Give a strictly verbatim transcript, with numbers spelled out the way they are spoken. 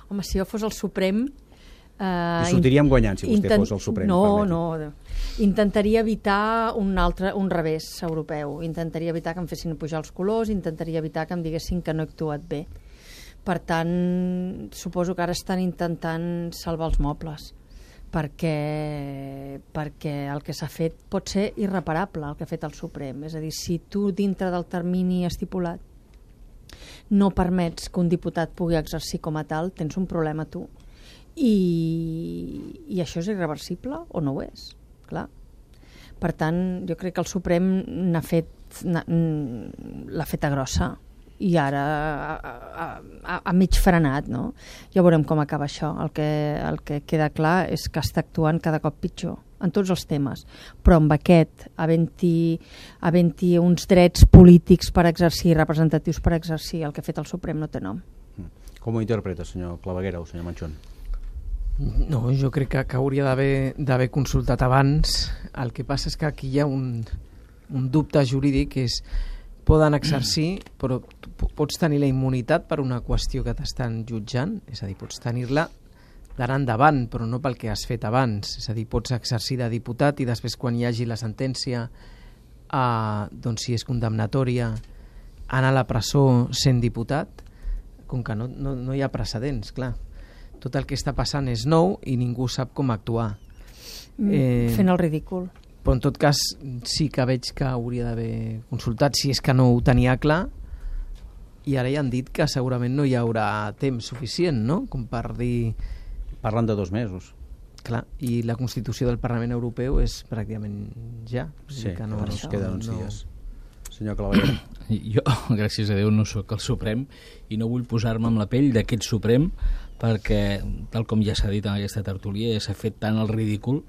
Home, si jo fos el Suprem... Uh, I sortiríem guanyant si vostè intent... fos el Suprem. No, no. Intentaria evitar un altre, un revés europeu. Intentaria evitar que em fessin pujar els colors, intentaria evitar que em diguessin que no he actuat bé. Per tant, suposo que ara estan intentant salvar els mobles, perquè, perquè el que s'ha fet pot ser irreparable, el que ha fet el Suprem. És a dir, si tu dintre del termini estipulat no permets que un diputat pugui exercir com a tal, tens un problema tu. I, i això és irreversible o no ho és, clar. Per tant, jo crec que el Suprem n'ha fet, l'ha feta grossa i ara ha, ha, ha mig frenat, no? Ja veurem com acaba això. El que, el que queda clar és que està actuant cada cop pitjor en tots els temes, però amb aquest havent-hi havent-hi uns drets polítics per exercir, representatius per exercir, el que ha fet el Suprem no té nom. Com ho interpreta, senyor Claveguera o senyor Manchón? No, jo crec que, que hauria d'haver consultat abans. El que passa és que aquí hi ha un, un dubte jurídic, que és poden exercir, però pots tenir la immunitat per una qüestió que t'estan jutjant, és a dir, pots tenir-la d'ara endavant, però no pel que has fet abans. És a dir, pots exercir de diputat i després, quan hi hagi la sentència, eh, doncs si és condemnatòria, anar a la presó sent diputat, com que no, no, no hi ha precedents, clar. Tot el que està passant és nou i ningú sap com actuar. Eh, Fent el ridícul. Però en tot cas sí que veig que hauria d'haver consultat, si és que no ho tenia clar, i ara ja han dit que segurament no hi haurà temps suficient, no?, com per dir... Parlen de dos mesos. Clar, i la Constitució del Parlament Europeu és pràcticament ja. Sí, que no, ens queden uns no... dies. Senyor Claveguera. Jo, gràcies a Déu, no sóc el Suprem i no vull posar-me amb la pell d'aquest Suprem, perquè, tal com ja s'ha dit en aquesta tertúlia, s'ha fet tant el ridícul